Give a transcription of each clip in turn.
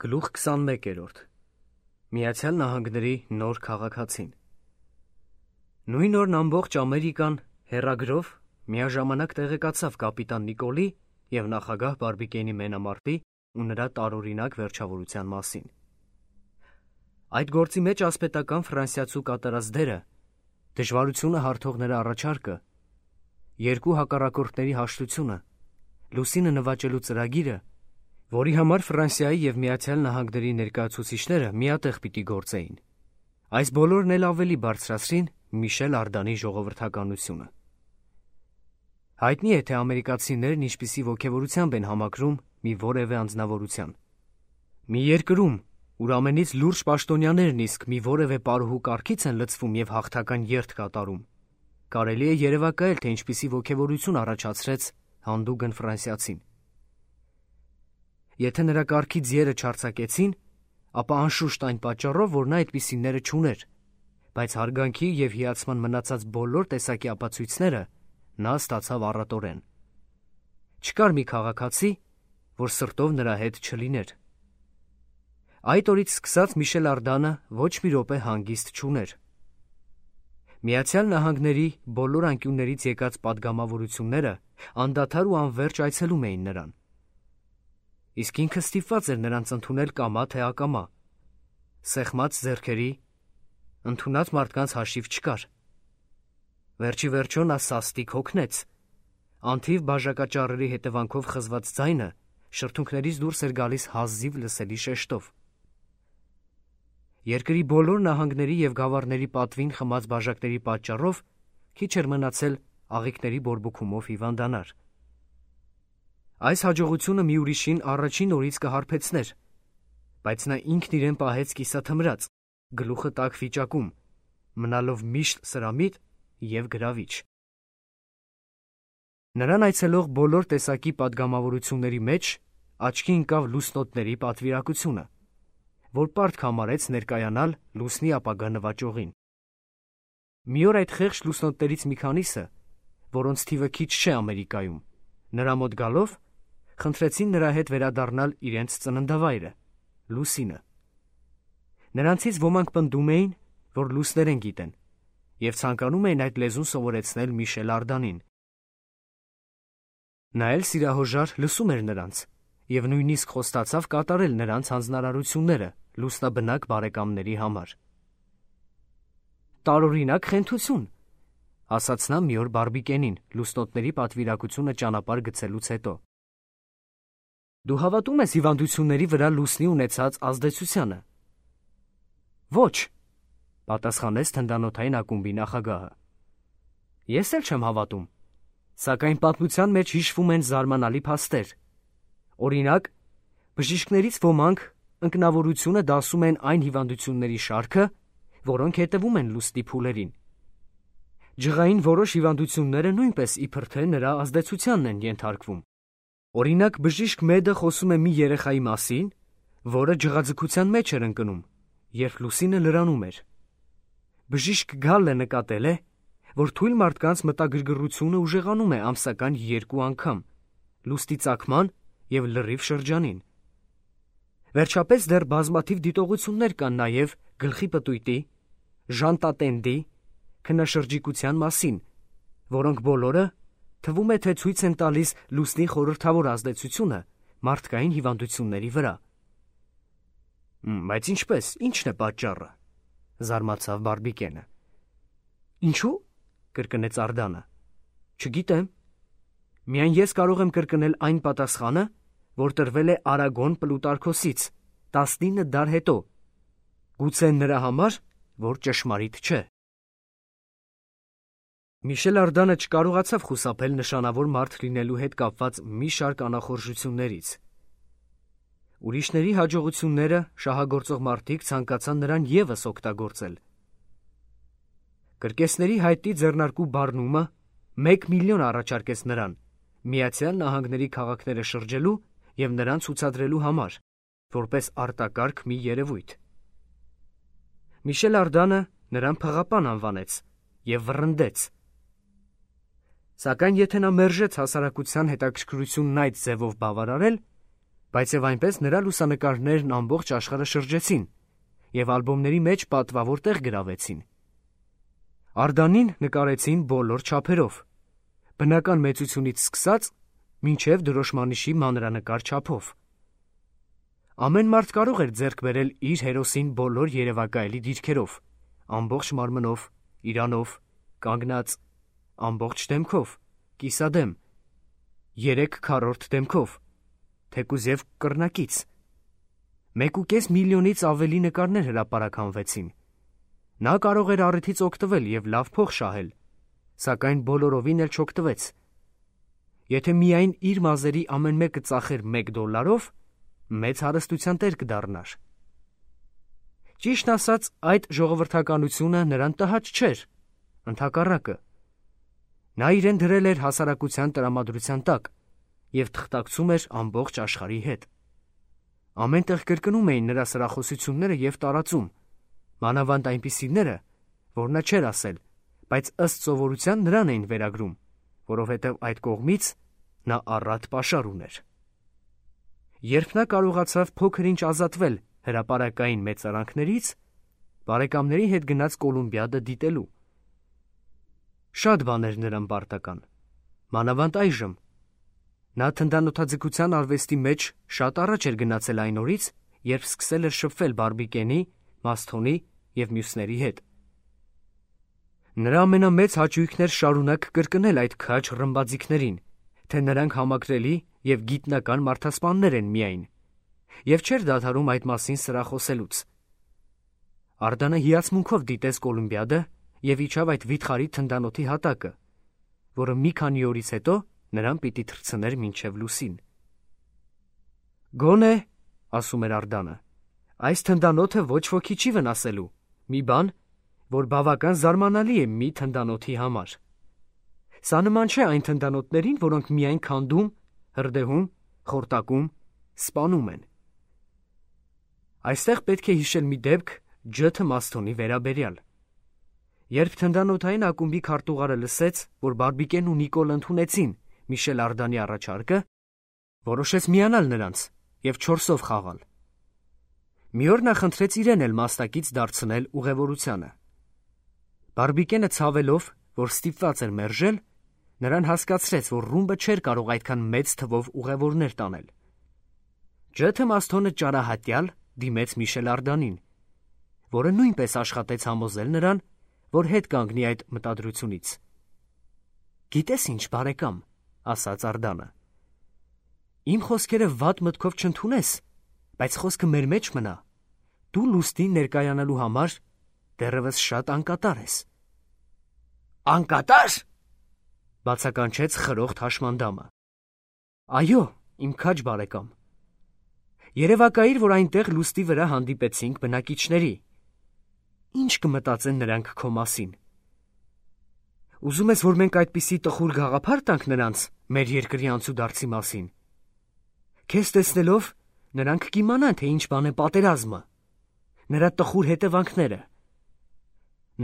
Գլուխ 21-րդ Միացյալ Նահանգների նոր քաղաքացին։ Նույն օրն ամբողջ Ամերիկան հեռագրով միաժամանակ տեղեկացավ կապիտան Նիկոլի և նախագահ Բարբիկենի մենամարտի ու նրա տարօրինակ վերջավորության մասին։ Այդ գործի մեջ ասպետական ֆրանսիացու կատարած դերը, դժվարությունը հարթող նրա առաջարկը, երկու հակառակորդների հաշտությունը, լուսինը նվաճելու ծրագիրը, որի համար Ֆրանսիայի և Միացյալ Նահանգների ներկայացուցիչները միատեղ պիտի գործեին, այս բոլորն էլ ավելի բարձրացրին Միշել Արդանի ժողովրդականությունը։ Հայտնի է, թե ամերիկացիներն ինչպիսի ոգևորությամբ են համակրում մի որևէ անձնավորության։ Մի երկրում, ուր ամենից լուրջ պաշտոնյաներն իսկ մի որևէ պարուհու կարգից են լցվում և հաղթական երթ կատարում, կարելի է երևակայել, թե ինչպիսի ոգևորություն առաջացրեց հանդուգն ֆրանսիացին։ Եթե նրա կարգի ձիերը չարձակեցին, ապա անշուշտ այն պատճառով, որ նա այդպիսիները չուներ, բայց հարգանքի և հիացման մնացած բոլոր տեսակի ապացույցները նա ստացավ առատորեն։ Չկար մի քաղաքացի, որ սրտով նրա հետ չլիներ։ Այդ օրից սկսած Միշել Արդանը ոչ մի րոպե հանգիստ չուներ։ Միացյալ Նահանգների բոլոր անկյուններից եկած պատգամավորությունները անդադար ու անվերջ այցելում էին նրան։ Իսկ ինքը ստիպված էր նրանց ընդունել կամա թե ակամա։ Սեղմած ձեռքերի, ընդունած մարդկանց հաշիվ չկար։ Վերջի վերջո նա սաստիկ հոգնեց։ Անթիվ բաժակաճառերի հետևանքով խզված ձայնը շրթունքներից դուրս էր գալիս հազիվ լսելի շեշտով։ Երկրի բոլոր նահանգների և գավառների պատվին խմած բաժակների պատճառով քիչ էր մնացել աղիքների բորբոքումով հիվանդանար։ Այս հաջողությունը մի ուրիշին առաջին օրից կհարբեցներ, բայց նա ինքն իրեն պահեց կիսաթմրած, գլուխը տաք վիճակում, մնալով միշտ սրամիտ և գրավիչ։ Նրան այցելող բոլոր տեսակի պատգամավորությունների մեջ աչքի ընկավ լուսնոտների պատվիրակությունը, որ պարտք համարեց ներկայանալ լուսնի ապագա նվաճողին։ Մի օր այդ խեղճ լուսնոտներից մի քանիսը, որոնց թիվը քիչ չէ Ամերիկայում, նրա մոտ գալով, խնդրեցին նրա հետ վերադառնալ իրենց ծննդավայրը, լուսինը։ Նրանցից ոմանք պնդում էին, որ լուսներեն գիտեն, և ցանկանում էին այդ լեզուն սովորեցնել Միշել Արդանին։ Նա էլ սիրահոժար լսում էր նրանց և նույնիսկ խոստացավ կատարել նրանց հանձնարարությունները լուսնաբնակ բարեկամների համար։ «Տարօրինակ խենթություն», ասաց նա մի օր Բարբիկենին լուսնոտների պատվիրակությունը ճանապարհ գցելուց հետո։ «Դու հավատում ես հիվանդությունների վրա լուսնի ունեցած ազդեցությանը»։ «Ոչ», պատասխանեց թնդանոթային ակումբի նախագահը։ «Ես էլ չեմ հավատում, սակայն պատմության մեջ հիշվում են զարմանալի փաստեր։ Օրինակ, բժիշկներից ոմանք ընկնավորությունը դասում են այն հիվանդությունների շարքը, որոնք հետևում են լուսնի փուլերին։ Ջղային որոշ հիվանդությունները նույնպես իբր թե նրա ազդեցությանն են ենթարկվում։ Օրինակ, բժիշկ Մեդը խոսում է մի երեխայի մասին, որը ջղաձգության մեջ էր ընկնում, երբ լուսինը լրանում էր։ Բժիշկ Գալլը նկատել է, որ թույլ մարդկանց մտագրգռությունը ուժեղանում է ամսական 2 անգամ, լուսնի ծագման և լրիվ շրջանին։ Վերջապես դեռ բազմաթիվ դիտողություններ կան նաև գլխի պտույտի, ժանտատենդի, քնաշրջիկության մասին, որոնք բոլորը թվում է, թե ցույց են տալիս լուսնի խորհրդավոր ազդեցությունը մարդկային հիվանդությունների վրա։ Բայց ինչպես, ի՞նչն է պատճառը, զարմացավ Բարբիկենը։ Ինչու՞, կրկնեց Արդանը։ Չգիտեմ։ Միայն ես կարող եմ կրկնել այն պատասխանը, որ տրվել է Արագոն Պլուտարքոսից 19 դար հետո, գուցե նրա համար, որ ճշմարիտ չէ։ Միշել Արդանը չկարողացավ խուսափել նշանավոր մարդ լինելու հետ կապված մի շարք անախորժություններից։ Ուրիշների հաջողությունները շահագործող մարդիկ ցանկացան նրան ևս օգտագործել։ Կրկեսների հայտի ձեռնարկու բառնումը 1 միլիոն առաջարկեց նրան Միացյալ Նահանգների քաղաքները շրջելու և նրան ցուցադրելու համար, որպես արտակարգ մի երևույթ։ Միշել Արդանը նրան փղապան անվանեց և վռնդեց։ Սակայն եթե նա մերժեց հասարակության հետաքրքրությունն այդ ձևով բավարարել, Բայց եւ այնպես նրա լուսանկարներն ամբողջ աշխարհը շրջեցին եւ ալբոմների մեջ պատվավոր տեղ գրավեցին։ Արդանին նկարեցին բոլոր չափերով, բնական մեծությունից սկսած մինչև դրոշմանիշի մանրանկար չափով։ Ամեն մարդ կարող էր ձեռք բերել իր հերոսին բոլոր երևակայելի դիրքերով, ամբողջ մարմնով, իրանով, կանգնած, ամբողջ դեմքով, կիսադեմ, 3/4 դեմքով, թեկուզ եւ կռնակից։ 1.5 միլիոնից ավելի նկարներ հրապարականվեցին։ Նա կարող էր առիթից օգտվել եւ լավ փող շահել, սակայն բոլորովին էլ չօգտվեց։ Եթե միայն իր մազերի ամեն մեկը ծախեր $1, մեծ հարստության տեր կդառնար։ Ճիշտ ասած, այդ ժողովրդականությունը նրան տհաճ չէր, ընդհակառակը։ Նա իրեն դրել էր հասարակության տրամադրության տակ եւ թղթակցում էր ամբողջ աշխարհի հետ։ Ամենտեղ կրկնում էին նրա սրախոսությունները եւ տարածում, մանավանդ այնպիսիները, որ նա չէր ասել, բայց ըստ սովորության նրան էին վերագրում, որովհետեւ այդ կողմից նա առատ պաշար ուներ։ Երբ նա կարողացավ փոքր-ինչ ազատվել հրապարակային մեծարանքներից, բարեկամների հետ գնաց Կոլումբիադը դիտելու։ Շատ բաներ նրան պարտական, մանավանդ այժմ։ Նա թնդանոթաձգության արվեստի մեջ շատ առաջ էր գնացել այն օրից, երբ սկսել էր շփվել Բարբիկենի, Մասթոնի եւ մյուսների հետ։ Նրա ամենամեծ հաճույքն էր շարունակ կրկնել այդ քաջ ռմբաձիկներին, թե նրանք համակրելի եւ գիտնական մարդասպաններ են միայն, եւ չէր դադարում այդ մասին սրախոսելուց։ Արդանը հիացմունքով դիտեց Կոլումբիադը եւ իջավ այդ վիթխարի թնդանոթի հատակը, որը մի քանի օրից հետո նրան պիտի թռցներ մինչև լուսին։ Գոնե, ասում էր Արդանը, այս թնդանոթը ոչ ոքի չի վնասելու, մի բան, որ բավական զարմանալի է մի թնդանոթի համար։ Սա նման չէ այն թնդանոթներին, որոնք միայն քանդում, հրդեհում, խորտակում, սպանում են։ Այստեղ պետք է հիշել մի դեպք Ջ. Մասթոնի վերաբերյալ։ Երբ թնդանոթային ակումբի քարտուղարը լսեց, որ Բարբիկեն ու Նիկոլ ընդունեցին Միշել Արդանի առաջարկը, որոշեց միանալ նրանց եւ 4-ով խաղալ։ Մի օր նա խնդրեց իրեն էլ մասնակից դարձնել ուղևորությանը։ Բարբիկենը ցավելով, որ ստիպված էր մերժել, նրան հասկացրեց, որ ռումբը չէր կարող այդքան մեծ թվով ուղևորներ տանել։ Ջ. Մասթոնը ճարահատյալ դիմեց Միշել Արդանին, որը նույնպես աշխատեց համոզել նրան, որ հետ կանգնի այդ մտադրությունից։ Գիտես ինչ, բարեկամ, ասաց Արդանը, իմ խոսքերը վատ մտքով չընդունես, բայց խոսքը մեր մեջ մնա, դու լուստին ներկայանալու համար դեռևս շատ անկատար ես։ Անկատար, բացականչեց խրոխտ հաշմանդամը։ Այո, իմ քաջ բարեկամ։ Երևակայիր, որ այնտեղ լուստի վրա հանդիպեցինք բնակիչների։ Ինչ կմտածեն նրանք քո մասին։ Ուզում ես, որ մենք այդպիսի տխուր գաղափար տանք նրանց մեր երկրի անցուդարձի մասին։ Քեզ տեսնելով նրանք կիմանան, թե ինչ բան է պատերազմը, նրա տխուր հետևանքները։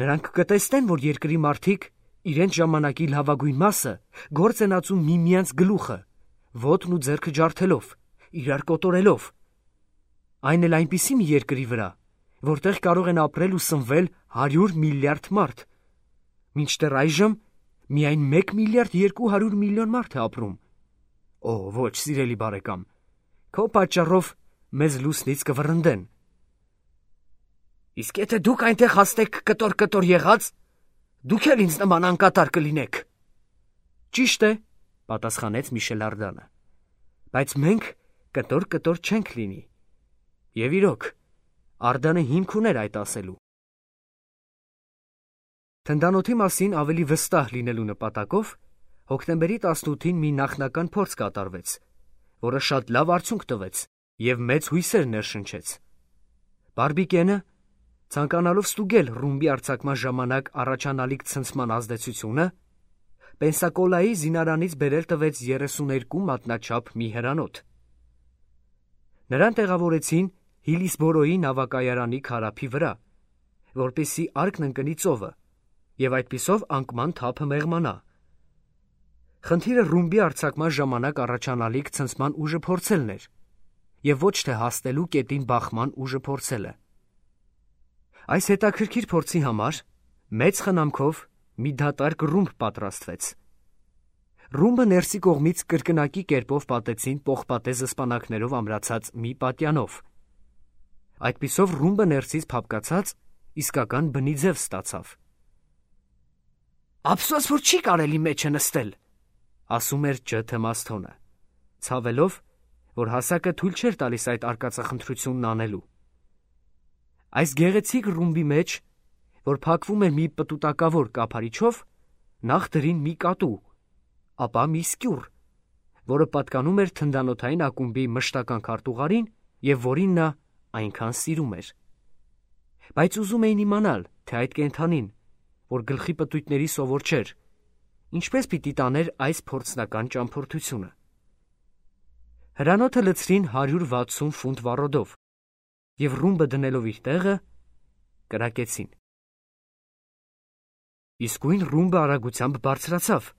Նրանք կտեսնեն, որ երկրի մարդիկ իրենց ժամանակի լավագույն մասը գործ են ածում միմյանց գլուխը, ոտն ու ձեռքը ջարդելով, իրար կոտորելով։ Այն էլ այնպիսի մի երկրի վրա, որտեղ կարող են ապրել ու սնվել 100 միլիարդ մարդ, մինչդեռ այժմ միայն 1 միլիարդ 200 միլիոն մարդ է ապրում։ Օ, ոչ, սիրելի բարեկամ, քո պատճառով մեզ լուսնից կվռնդեն։ Իսկ եթե դուք այնտեղ հասնեք կտոր եղած, դուք էլ ինձ նման անկատար կլինեք։ Ճիշտ է, պատասխանեց Միշել Արդանը, բայց մենք կտոր չենք լինի։ Եվ իրոք, Արդանը հիմք ուներ այդ ասելու։ Թնդանոթի մասին ավելի վստահ լինելու նպատակով հոկտեմբերի 18-ին մի նախնական փորձ կատարվեց, որը շատ լավ արդյունք տվեց եւ մեծ հույսեր ներշնչեց։ Բարբիկենը, ցանկանալով ստուգել ռումբի արձակման ժամանակ առաջանալիք ցնցման ազդեցությունը, Պենսակոլայի զինարանից բերել տվեց 32 մատնաչափ մի հրանոթ։ Նրան տեղավորեցին Հիլիսբորոյի նավակայարանի քարափի վրա, որպեսզի արկն ընկնի ծովը եւ այդպիսով անկման թափը մեղմանա։ Խնդիրը ռումբի արձակման ժամանակ առաջանալիք ցնցման ուժը փորձելն էր, և ոչ թե հասնելու կետին բախման ուժը փորձելը։ Այս հետաքրքիր փորձի համար մեծ խնամքով մի դատարկ ռումբ պատրաստվեց։ Ռումբը ներսի կողմից կրկնակի կերպով պատեցին պողպատե զսպանակներով ամրացած մի պատյանով։ Այդպիսով ռումբը ներսից փափկացած իսկական բնի ձև ստացավ։ «Ափսոս, որ չի կարելի մեջը նստել», ասում էր Ջ. Թեմասթոնը, ցավելով, որ հասակը թույլ չէր տալիս այդ արկածախնդրությունն անելու։ Այս գեղեցիկ ռումբի մեջ, որ փակվում էր մի պտուտակավոր կափարիչով, նախ դրին մի կատու, ապա մի սկյուռ, որը պատկանում էր թնդանոթային ակումբի մշտական քարտուղարին և որին նա այնքան սիրում էր։ Բայց ուզում էին իմանալ, թե այդ կենդանին, որ գլխի պտույտների սովոր չէր, ինչպես պիտի տաներ այս փորձնական ճամփորդությունը։ Հրանոթը լցրին 160 ֆունտ վառոդով և ռումբը դնելով իր տեղը, կրակեցին։ Իսկույն ռումբը արագությամբ բարձրացավ,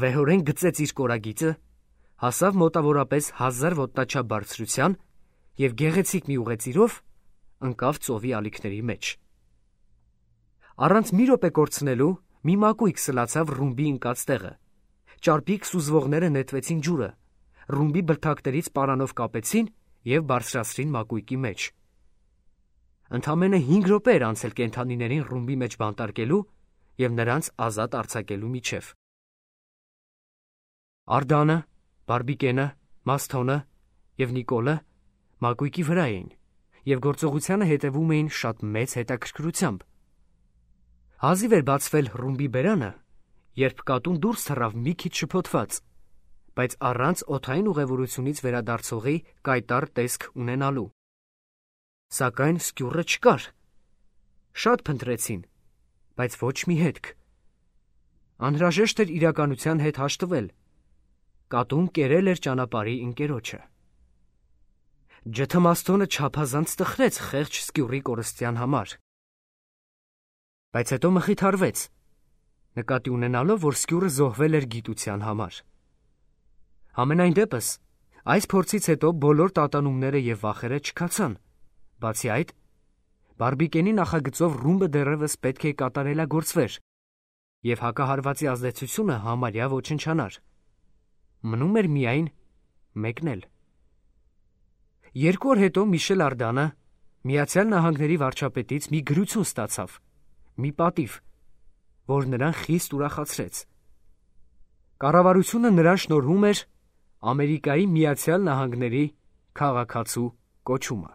վեհորեն գծեց իր կորագիծը, հասավ մոտավորապես 1000 ոտնաչափ բարձրության և գեղեցիկ մի ուղեծիրով ընկավ ծովի ալիքների մեջ։ Առանց մի րոպե կորցնելու մի մակույկ սլացավ ռումբի ընկած տեղը, ճարպիկ սուզվողները նետվեցին ջուրը, ռումբի բլթակներից պարանով կապեցին և բարձրացրին մակույկի մեջ։ Ընդամենը 5 րոպե էր անցել կենդանիներին ռումբի մեջ բանտարկելու և նրանց ազատ արձակելու միջև։ Արդանը, Բարբիկենը, Մասթոնը և Նիկոլը մակույկի վրա էին և գործողությանը հետևում էին շատ մեծ հետաքրքրությամբ։ Հազիվ էր բացվել ռումբի բերանը, երբ կատուն դուրս թռավ մի քիչ շփոթված, բայց առանց օդային ուղևորությունից վերադարձողի կայտառ տեսք ունենալու։ Սակայն սկյուռը չկար։ Շատ փնտրեցին, բայց ոչ մի հետք։ Անհրաժեշտ էր իրականության հետ հաշտվել։ Կատուն կերել էր ճանապարհի ընկերոջը։ Ջ. Թեմասթոնը չափազանց տխրեց խեղճ սկյուռի կորստյան համար, բայց հետո մխիթարվեց, նկատի ունենալով, որ սկյուռը զոհվել էր գիտության համար։ Համենայն դեպս, այս փորձից հետո բոլոր տատանումները և վախերը չքացան։ Բացի այդ, Բարբիկենի նախագծով ռումբը դեռևս պետք է կատարելագործվեր և հակահարվածի ազդեցությունը համարյա ոչնչանար։ Մնում էր միայն մեկնել։ 2 օր հետո Միշել Արդանը Միացյալ Նահանգների վարչապետից մի գրություն ստացավ, մի պատիվ, որ նրան խիստ ուրախացրեց։ Կառավարությունը նրան շնորհում էր Ամերիկայի Միացյալ Նահանգների քաղաքացու կոչումը։